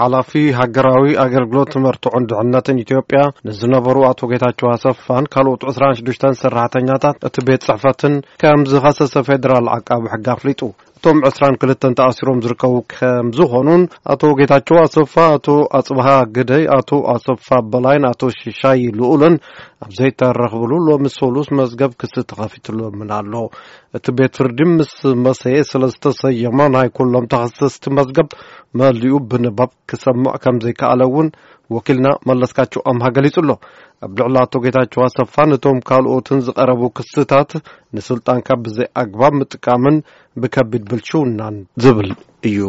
ሓላፊ ሃገራዊ ኣገልግሎት መርትዖን ድሕነትን ኢትዮጵያ ንዝነበሩ ኣቶ ጌታቸው ኣሰፋን ካልኦት ዕስራን ሽዱሽተን ሰራሕተኛታት እቲ ቤት ጽሕፈትን ከም ዝኸሰሰ ፌደራል ዓቃቢ ሕጊ ኣፍሊጡ። እቶም ዕስራን ክልተን ተኣሲሮም ዝርከቡ ከም ዝኾኑን ኣቶ ጌታቸው ኣሰፋ፣ ኣቶ ኣጽብሃ ግደይ፣ ኣቶ ኣሰፋ በላይን ኣቶ ሽሻይ ልኡልን ኣብ ዘይተረኽብሉ ሎሚ ሰሉስ መዝገብ ክሲ ተኸፊትሎምን ኣሎ። እቲ ቤት ፍርዲ ምስ መሰየ ስለ ዝተሰየመ ናይ ኩሎም ተኸሰስቲ መዝገብ መሊኡ ብንባብ ክሰምዕ ከም ዘይከኣለ እውን ወኪልና መለስካቸው ኣምሃ ገሊጹ ኣሎ። ኣብ ልዕሊ ኣቶ ጌታቸው ኣሰፋን እቶም ካልኦትን ዝቐረቡ ክስታት ንስልጣንካ ብዘይ ኣግባብ ምጥቃምን ብከቢድ ብልሽውናን ዝብል እዩ።